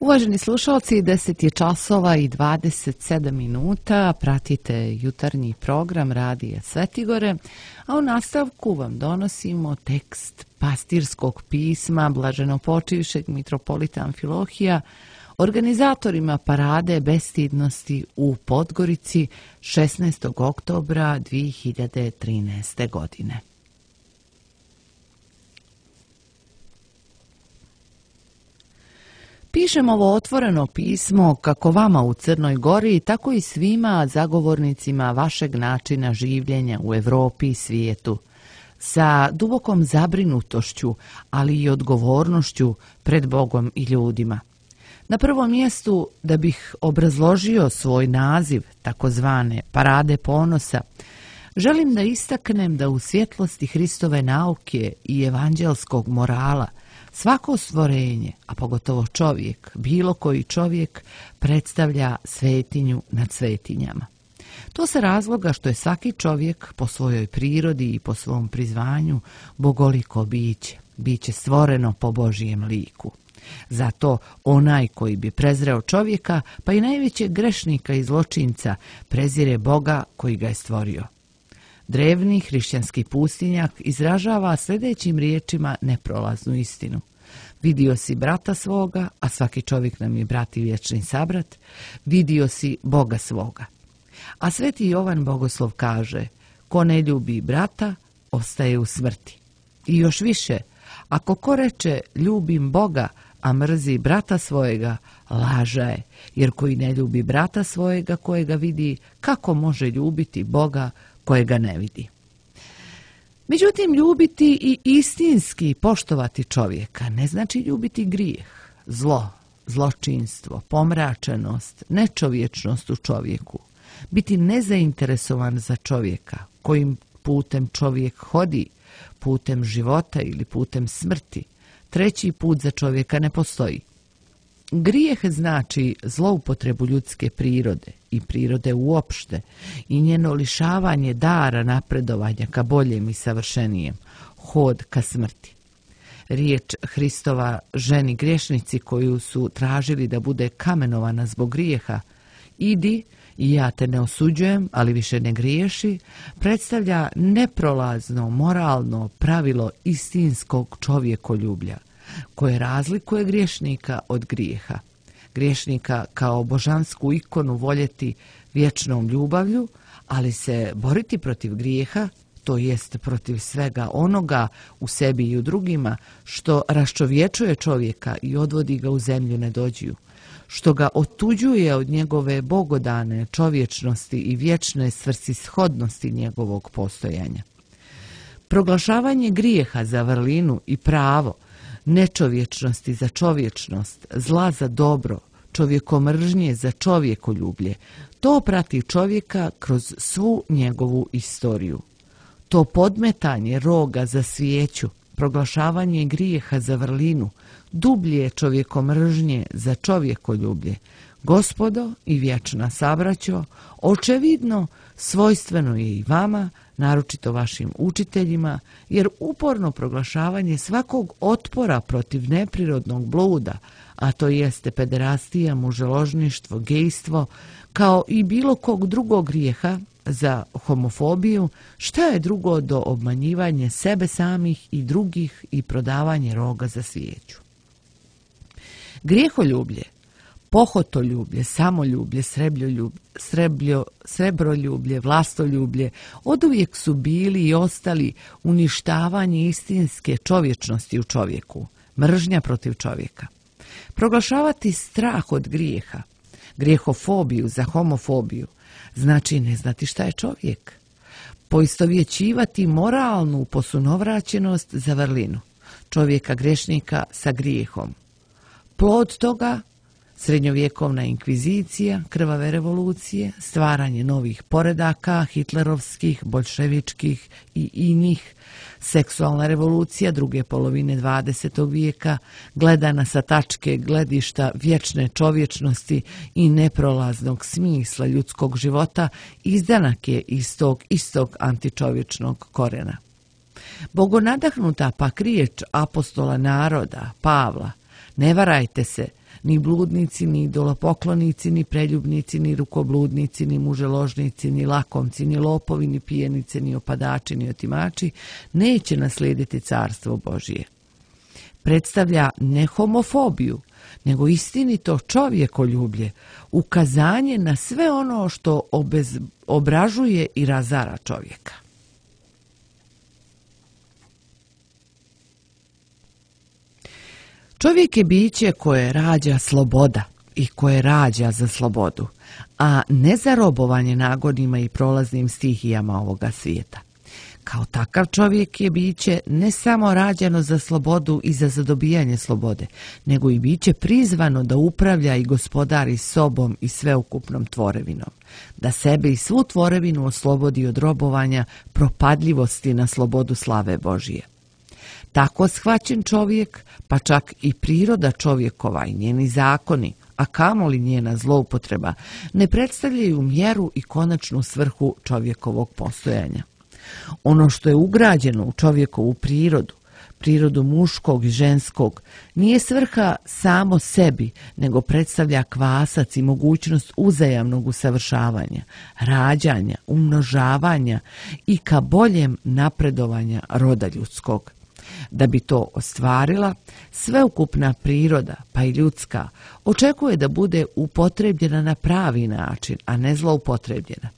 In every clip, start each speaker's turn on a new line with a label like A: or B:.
A: Uvaženi slušalci, 10 je časova i 27 minuta, pratite jutarnji program Radija Svetigore, a u nastavku vam donosimo tekst pastirskog pisma blaženopočivšeg mitropolita Amfilohija organizatorima parade bestidnosti u Podgorici 16. oktobra 2013. godine. Pišem ovo otvoreno pismo kako vama u Crnoj Gori, tako i svima zagovornicima vašeg načina življenja u Evropi i svijetu, sa dubokom zabrinutošću, ali i odgovornošću pred Bogom i ljudima. Na prvom mjestu, da bih obrazložio svoj naziv, takozvane parade ponosa, želim da istaknem da u svjetlosti Hristove nauke i evanđelskog morala svako stvorenje, a pogotovo čovjek, bilo koji čovjek, predstavlja svetinju nad svetinjama. To sa razloga što je svaki čovjek po svojoj prirodi i po svom prizvanju bogoliko biće stvoreno po Božijem liku. Zato onaj koji bi prezreo čovjeka, pa i najvećeg grešnika i zločinca, prezire Boga koji ga je stvorio. Drevni hrišćanski pustinjak izražava sljedećim riječima neprolaznu istinu. Vidio si brata svoga, a svaki čovjek nam je brat i vječni sabrat, vidio si Boga svoga. A sveti Jovan Bogoslov kaže, ko ne ljubi brata, ostaje u smrti. I još više, ako ko reče ljubim Boga, a mrzi brata svojega, laža je, jer koji ne ljubi brata svojega kojega vidi, kako može ljubiti Boga kojega ne vidi? Međutim, ljubiti i istinski poštovati čovjeka ne znači ljubiti grijeh, zlo, zločinstvo, pomračenost, nečovječnost u čovjeku. Biti nezainteresovan za čovjeka, kojim putem čovjek hodi, putem života ili putem smrti. Treći put za čovjeka ne postoji. Grijeh znači zloupotrebu ljudske prirode i prirode uopšte i njeno lišavanje dara napredovanja ka boljem i savršenijem, hod ka smrti. Riječ Hristova ženi griješnici koju su tražili da bude kamenovana zbog grijeha, idi i ja te ne osuđujem, ali više ne griješi, predstavlja neprolazno moralno pravilo istinskog čovjekoljublja, koje razlikuje griješnika od grijeha. Griješnika kao božansku ikonu voljeti vječnom ljubavlju, ali se boriti protiv grijeha, to jest protiv svega onoga u sebi i u drugima, što raščovječuje čovjeka i odvodi ga u zemlju nedođiju, što ga otuđuje od njegove bogodane čovječnosti i vječne svrsishodnosti njegovog postojanja. Proglašavanje grijeha za vrlinu i pravo, nečovječnosti za čovječnost, zla za dobro, čovjekomržnje za čovjekoljublje, to prati čovjeka kroz svu njegovu istoriju. To podmetanje roga za svijeću, proglašavanje grijeha za vrlinu, dublje čovjekomržnje za čovjekoljublje, gospodo i vječna sabraćo, očevidno svojstveno je i vama, naročito vašim učiteljima, jer uporno proglašavanje svakog otpora protiv neprirodnog bluda, a to jeste pederastija, muželožništvo, gejstvo, kao i bilo kog drugog grijeha, za homofobiju, šta je drugo do obmanjivanje sebe samih i drugih i prodavanje roga za svijeću. Grijeholjublje, pohotoljublje, samoljublje, srebroljublje, vlastoljublje oduvijek su bili i ostali uništavanje istinske čovječnosti u čovjeku, mržnja protiv čovjeka. Proglašavati strah od grijeha, grijehofobiju za homofobiju, znači ne znati šta je čovjek. Poistovjećivati moralnu posunovraćenost za vrlinu, čovjeka grešnika sa grijehom. Plod toga srednjovjekovna inkvizicija, krvave revolucije, stvaranje novih poredaka, hitlerovskih, boljševičkih i inih, seksualna revolucija druge polovine 20. vijeka, gledana sa tačke gledišta vječne čovječnosti i neprolaznog smisla ljudskog života, izdanak je iz tog istog antičovječnog korena. Bogonadahnuta pak riječ apostola naroda, Pavla, ne varajte se, Ni bludnici, ni idolopoklonici, ni preljubnici, ni rukobludnici, ni muželožnici, ni lakomci, ni lopovi, ni pijenice, ni opadači, ni otimači neće naslijediti carstvo Božije. Predstavlja ne homofobiju, nego istinito čovjekoljublje, ukazanje na sve ono što obražuje i razara čovjeka. Čovjek je biće koje rađa sloboda i koje rađa za slobodu, a ne za robovanje nagonima i prolaznim stihijama ovoga svijeta. Kao takav čovjek je biće ne samo rađeno za slobodu i za zadobijanje slobode, nego i biće prizvano da upravlja i gospodari sobom i sveukupnom tvorevinom, da sebe i svu tvorevinu oslobodi od robovanja propadljivosti na slobodu slave Božije. Tako shvaćen čovjek, pa čak i priroda čovjekova i njeni zakoni, a kamoli njena zloupotreba, ne predstavljaju mjeru i konačnu svrhu čovjekovog postojanja. Ono što je ugrađeno u čovjekovu prirodu muškog i ženskog, nije svrha samo sebi, nego predstavlja kvasac i mogućnost uzajamnog usavršavanja, rađanja, umnožavanja i ka boljem napredovanja roda ljudskog. Da bi to ostvarila, sveukupna priroda, pa i ljudska, očekuje da bude upotrebljena na pravi način, a ne zloupotrebljena.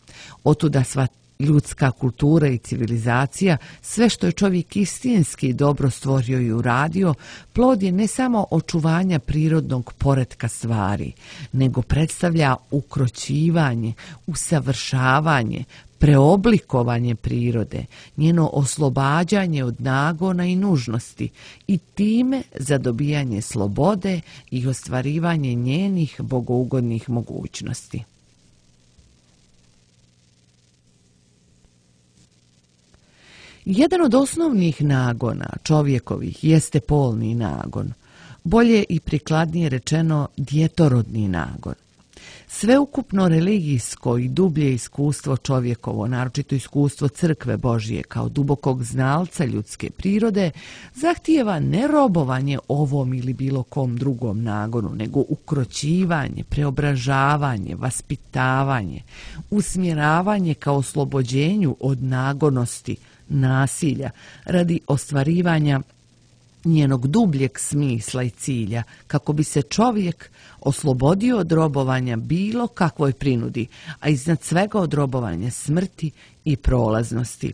A: Otuda sva ljudska kultura i civilizacija, sve što je čovjek istinski dobro stvorio i uradio, plod je ne samo očuvanja prirodnog poretka stvari, nego predstavlja ukroćivanje, usavršavanje, preoblikovanje prirode, njeno oslobađanje od nagona i nužnosti i time zadobijanje slobode i ostvarivanje njenih bogougodnih mogućnosti. Jedan od osnovnih nagona čovjekovih jeste polni nagon, bolje i prikladnije rečeno djetorodni nagon. Sveukupno religijsko i dublje iskustvo čovjekovo, naročito iskustvo crkve Božije kao dubokog znalca ljudske prirode, zahtijeva ne robovanje ovom ili bilo kom drugom nagonu, nego ukroćivanje, preobražavanje, vaspitavanje, usmjeravanje kao oslobođenju od nagonosti, nasilja, radi ostvarivanja njenog dubljeg smisla i cilja, kako bi se čovjek oslobodio od robovanja bilo kakvoj prinudi, a iznad svega od robovanja smrti i prolaznosti.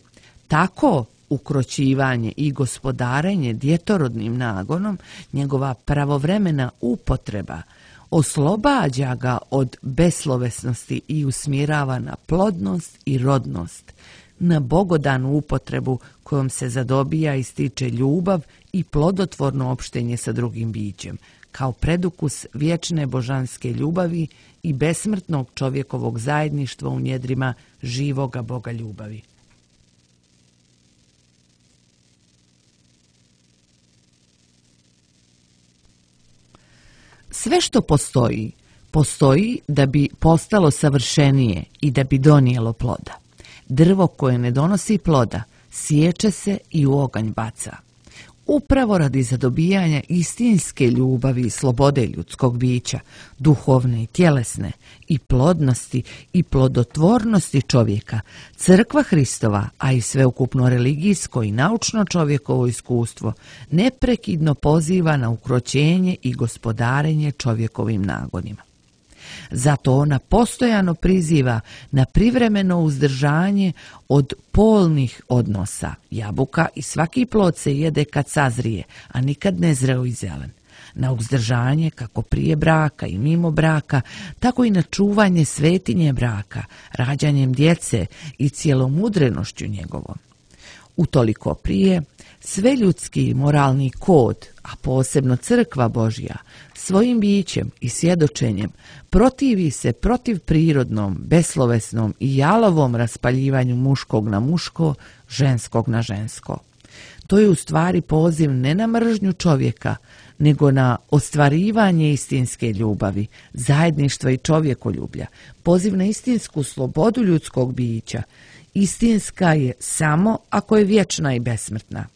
A: Tako ukroćivanje i gospodarenje djetorodnim nagonom, njegova pravovremena upotreba, oslobađa ga od beslovesnosti i usmjerava na plodnost i rodnost, na bogodanu upotrebu kojom se zadobija i stiče ljubav i plodotvorno opštenje sa drugim bićem, kao predukus vječne božanske ljubavi i besmrtnog čovjekovog zajedništva u njedrima živoga Boga ljubavi. Sve što postoji, postoji da bi postalo savršenije i da bi donijelo ploda. Drvo koje ne donosi ploda, siječe se i u oganj baca. Upravo radi zadobijanja istinske ljubavi i slobode ljudskog bića, duhovne i tjelesne, i plodnosti i plodotvornosti čovjeka, crkva Hristova, a i sveukupno religijsko i naučno čovjekovo iskustvo, neprekidno poziva na ukroćenje i gospodarenje čovjekovim nagonima. Zato ona postojano priziva na privremeno uzdržanje od polnih odnosa. Jabuka i svaki plod se jede kad sazrije, a nikad ne zreo i zelen. Na uzdržanje kako prije braka i mimo braka, tako i na čuvanje svetinje braka, rađanjem djece i cijelomudrenošću njegovom. Utoliko prije, sve ljudski moralni kod, a posebno crkva Božja, svojim bićem i svjedočenjem protivi se protiv prirodnom, beslovesnom i jalovom raspaljivanju muškog na muško, ženskog na žensko. To je u stvari poziv ne na mržnju čovjeka, nego na ostvarivanje istinske ljubavi, zajedništva i čovjekoljublja, poziv na istinsku slobodu ljudskog bića. Istinska je samo ako je vječna i besmrtna.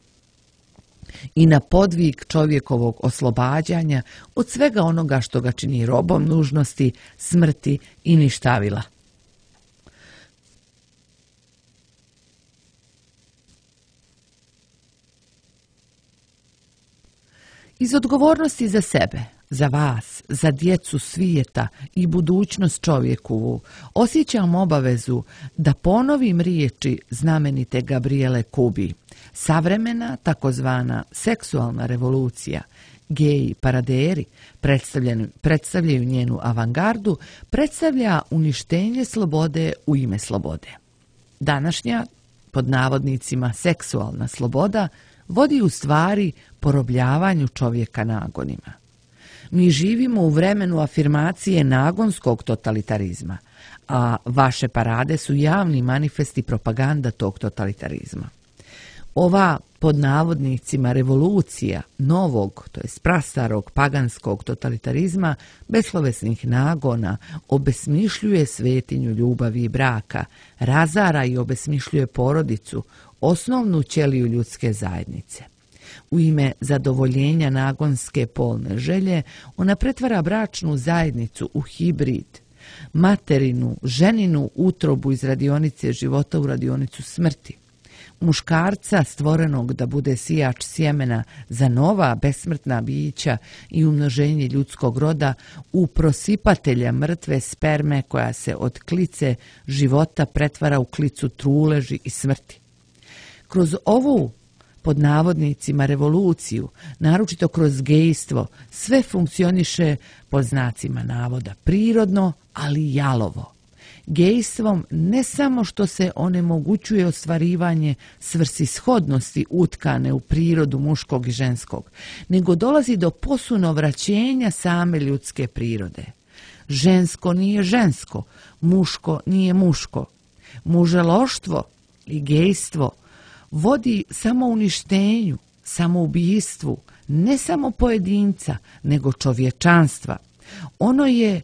A: i na podvig čovjekovog oslobađanja od svega onoga što ga čini robom nužnosti, smrti i ništavila. Iz odgovornosti za sebe, za vas, za djecu svijeta i budućnost čovjekovu, osjećam obavezu da ponovim riječi znamenite Gabriele Kubi. Savremena, takozvana seksualna revolucija, geji paraderi predstavljaju njenu avangardu, predstavlja uništenje slobode u ime slobode. Današnja, pod navodnicima, seksualna sloboda vodi u stvari porobljavanju čovjeka nagonima. Mi živimo u vremenu afirmacije nagonskog totalitarizma, a vaše parade su javni manifesti propaganda tog totalitarizma. Ova, pod navodnicima, revolucija novog, to jest prastarog paganskog totalitarizma, beslovesnih nagona, obesmišljuje svetinju ljubavi i braka, razara i obesmišljuje porodicu, osnovnu ćeliju ljudske zajednice. U ime zadovoljenja nagonske polne želje, ona pretvara bračnu zajednicu u hibrid, materinu, ženinu utrobu iz radionice života u radionicu smrti. Muškarca stvorenog da bude sijač sjemena za nova besmrtna bića i umnoženje ljudskog roda u prosipatelja mrtve sperme koja se od klice života pretvara u klicu truleži i smrti. Kroz ovu, pod navodnicima, revoluciju, naročito kroz gejstvo, sve funkcioniše pod znacima navoda prirodno, ali jalovo. Gejstvom ne samo što se onemogućuje ostvarivanje svrsishodnosti utkane u prirodu muškog i ženskog, nego dolazi do posunovraćenja same ljudske prirode. Žensko nije žensko, muško nije muško. Muželoštvo i gejstvo vodi samo uništenju, samoubistvu, ne samo pojedinca, nego čovječanstva. Ono je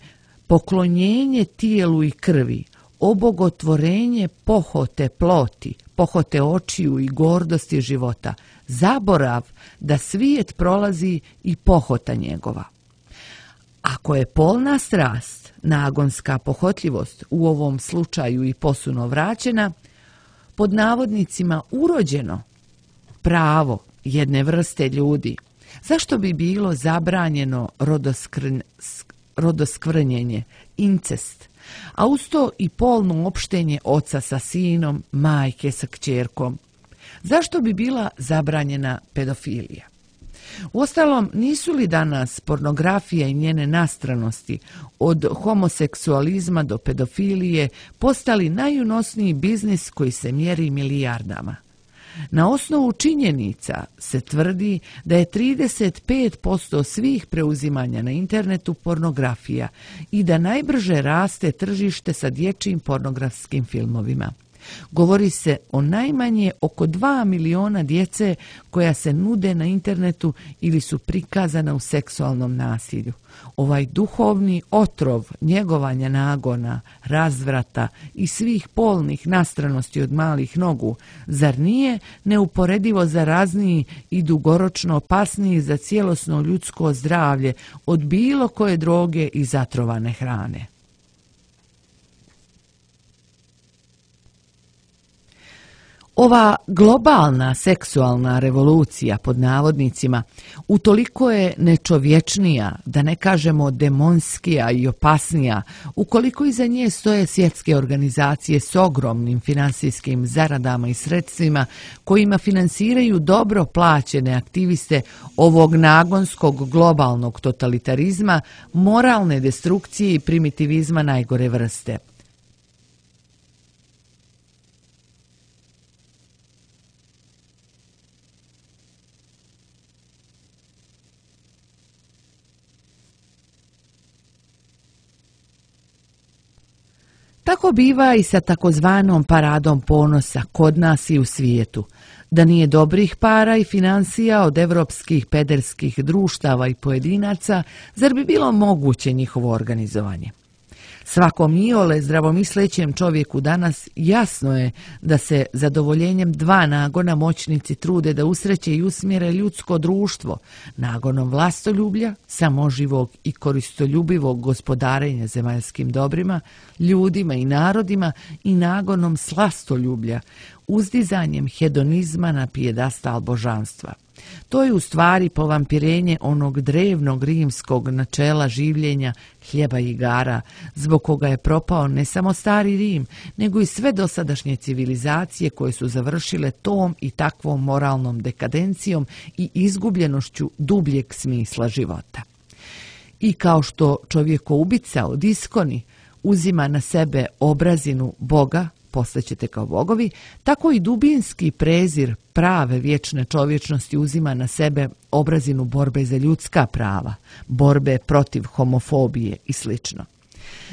A: poklonjenje tijelu i krvi, obogotvorenje pohote ploti, pohote očiju i gordosti života, zaborav da svijet prolazi i pohota njegova. Ako je polna strast, nagonska pohotljivost, u ovom slučaju i posuno vraćena, pod navodnicima urođeno pravo jedne vrste ljudi, zašto bi bilo zabranjeno rodoskvrnjenje, incest, a uz to i polno opštenje oca sa sinom, majke sa kćerkom? Zašto bi bila zabranjena pedofilija? Uostalom, nisu li danas pornografija i njene nastranosti od homoseksualizma do pedofilije postali najunosniji biznis koji se mjeri milijardama? Na osnovu činjenica se tvrdi da je 35% svih preuzimanja na internetu pornografija i da najbrže raste tržište sa dječjim pornografskim filmovima. Govori se o najmanje oko 2 miliona djece koja se nude na internetu ili su prikazana u seksualnom nasilju. Ovaj duhovni otrov njegovanja nagona, razvrata i svih polnih nastranosti od malih nogu, zar nije neuporedivo zarazniji i dugoročno opasniji za cijelosno ljudsko zdravlje od bilo koje droge i zatrovane hrane? Ova globalna seksualna revolucija, pod navodnicima, utoliko je nečovječnija, da ne kažemo demonskija i opasnija, ukoliko iza nje stoje svjetske organizacije s ogromnim finansijskim zaradama i sredstvima kojima finansiraju dobro plaćene aktiviste ovog nagonskog globalnog totalitarizma, moralne destrukcije i primitivizma najgore vrste. Tako biva i sa takozvanom paradom ponosa kod nas i u svijetu. Da nije dobrih para i financija od evropskih pederskih društava i pojedinaca, zar bi bilo moguće njihovo organizovanje? Svakom iole zdravomislećem čovjeku danas jasno je da se zadovoljenjem dva nagona moćnici trude da usreće i usmjere ljudsko društvo, nagonom vlastoljublja, samoživog i koristoljubivog gospodarenja zemaljskim dobrima, ljudima i narodima i nagonom slastoljublja, uzdizanjem hedonizma na pijedastal božanstva. To je u stvari povampirenje onog drevnog rimskog načela življenja hljeba i igara, zbog koga je propao ne samo stari Rim, nego i sve dosadašnje civilizacije koje su završile tom i takvom moralnom dekadencijom i izgubljenošću dubljeg smisla života. I kao što čovjekoubica od iskoni uzima na sebe obrazinu Boga, postaćete kao bogovi, tako i dubinski prezir prave vječne čovječnosti uzima na sebe obrazinu borbe za ljudska prava, borbe protiv homofobije i sl.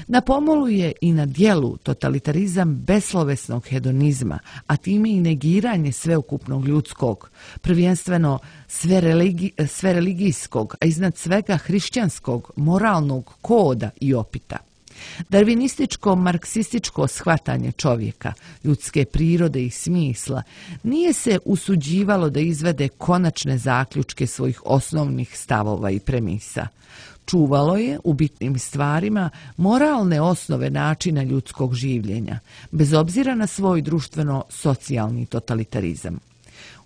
A: Na pomolu je i na djelu totalitarizam beslovesnog hedonizma, a time i negiranje sveukupnog ljudskog, prvenstveno sve religijskog, a iznad svega hrišćanskog, moralnog koda i opita. Darvinističko-marksističko shvatanje čovjeka, ljudske prirode i smisla nije se usuđivalo da izvede konačne zaključke svojih osnovnih stavova i premisa. Čuvalo je u bitnim stvarima moralne osnove načina ljudskog življenja, bez obzira na svoj društveno-socijalni totalitarizam.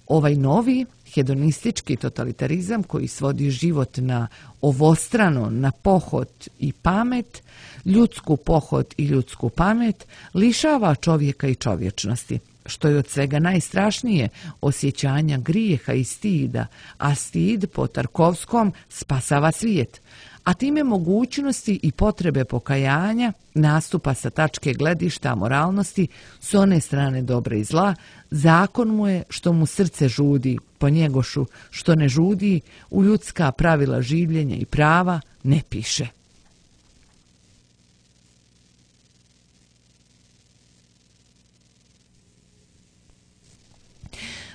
A: Ovaj novi hedonistički totalitarizam koji svodi život na ovostrano, na pohot i pamet, ljudsku pohot i ljudsku pamet, lišava čovjeka i čovječnosti, što je od svega najstrašnije osjećanja grijeha i stida, a stid po Tarkovskom spasava svijet, a time mogućnosti i potrebe pokajanja, nastupa sa tačke gledišta moralnosti s one strane dobra i zla, zakon mu je što mu srce žudi, po njegošu što ne žudi, u ljudska pravila življenja i prava ne piše.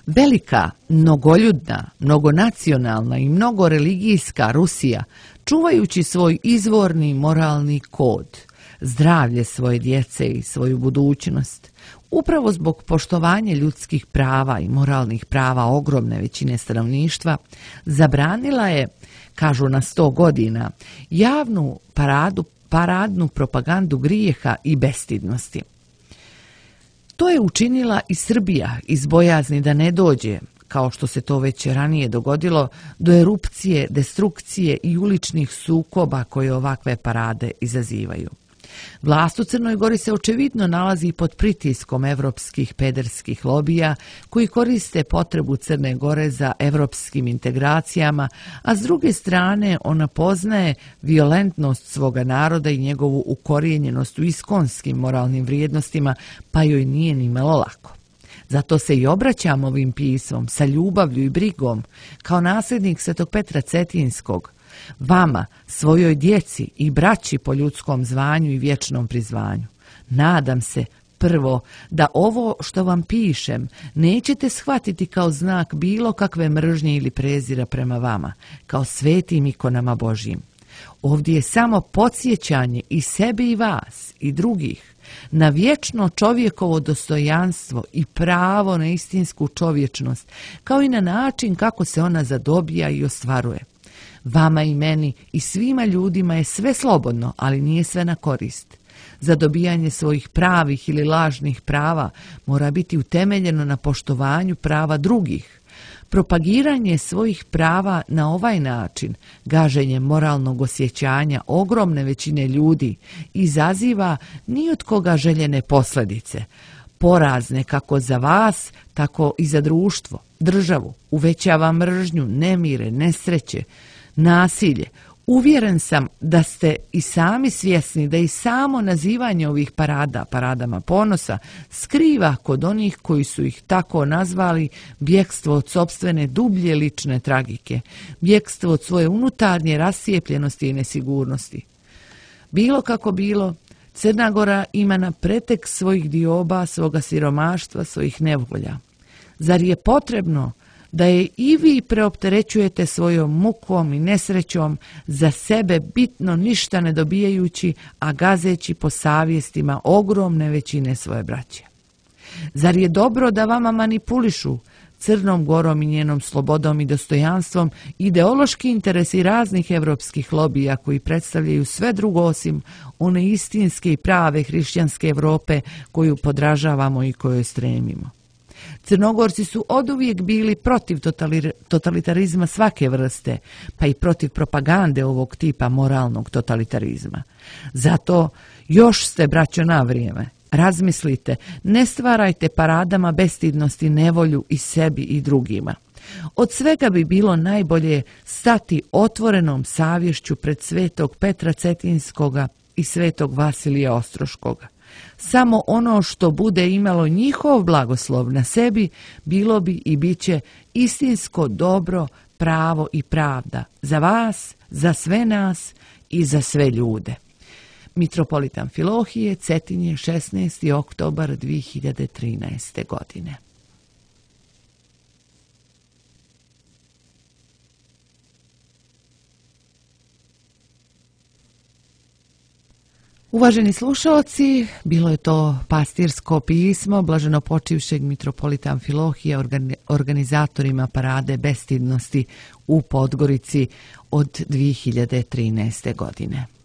A: Velika, mnogoljudna, mnogonacionalna i mnogoreligijska Rusija, čuvajući svoj izvorni moralni kod, zdravlje svoje djece i svoju budućnost, upravo zbog poštovanja ljudskih prava i moralnih prava ogromne većine stanovništva, zabranila je, kažu na 100 godina, javnu paradnu propagandu grijeha i bestidnosti. To je učinila i Srbija iz bojazni da ne dođe, kao što se to već ranije dogodilo, do erupcije, destrukcije i uličnih sukoba koje ovakve parade izazivaju. Vlast u Crnoj Gori se očevidno nalazi pod pritiskom evropskih pederskih lobija koji koriste potrebu Crne Gore za evropskim integracijama, a s druge strane ona poznaje violentnost svoga naroda i njegovu ukorijenjenost u iskonskim moralnim vrijednostima, pa joj nije ni malo lako. Zato se i obraćam ovim pismom sa ljubavlju i brigom, kao nasljednik Svetog Petra Cetinskog, vama, svojoj djeci i braći po ljudskom zvanju i vječnom prizvanju. Nadam se, prvo, da ovo što vam pišem nećete shvatiti kao znak bilo kakve mržnje ili prezira prema vama, kao svetim ikonama Božjim. Ovdje je samo podsjećanje i sebe i vas i drugih na vječno čovjekovo dostojanstvo i pravo na istinsku čovječnost, kao i na način kako se ona zadobija i ostvaruje. Vama i meni i svima ljudima je sve slobodno, ali nije sve na korist. Zadobijanje svojih pravih ili lažnih prava mora biti utemeljeno na poštovanju prava drugih. Propagiranje svojih prava na ovaj način, gaženje moralnog osjećanja ogromne većine ljudi, izaziva ni od koga željene posljedice, porazne kako za vas, tako i za društvo, državu, uvećava mržnju, nemire, nesreće, nasilje. Uvjeren sam da ste i sami svjesni da i samo nazivanje ovih paradama ponosa, skriva kod onih koji su ih tako nazvali bjegstvo od sopstvene dublje lične tragike, bjegstvo od svoje unutarnje rascijepljenosti i nesigurnosti. Bilo kako bilo, Crna Gora ima na pretek svojih dioba, svoga siromaštva, svojih nevolja. Zar je potrebno da je i vi preopterećujete svojom mukom i nesrećom, za sebe bitno ništa ne dobijajući, a gazeći po savjestima ogromne većine svoje braće? Zar je dobro da vama manipulišu Crnom Gorom i njenom slobodom i dostojanstvom ideološki interesi raznih evropskih lobija koji predstavljaju sve drugo osim one istinske i prave hrišćanske Evrope koju podražavamo i kojoj stremimo? Crnogorci su oduvijek bili protiv totalitarizma svake vrste, pa i protiv propagande ovog tipa moralnog totalitarizma. Zato još ste, braćo, na vrijeme. Razmislite, ne stvarajte paradama bestidnosti nevolju i sebi i drugima. Od svega bi bilo najbolje stati otvorenom savješću pred svetog Petra Cetinskoga i svetog Vasilija Ostroškoga. Samo ono što bude imalo njihov blagoslov na sebi bilo bi i bit će istinsko dobro, pravo i pravda za vas, za sve nas i za sve ljude. Mitropolit Amfilohije, Cetinje, 16. oktobar 2013. godine. Uvaženi slušalci, bilo je to pastirsko pismo blaženopočivšeg mitropolita Amfilohija organizatorima parade bestidnosti u Podgorici od 2013. godine.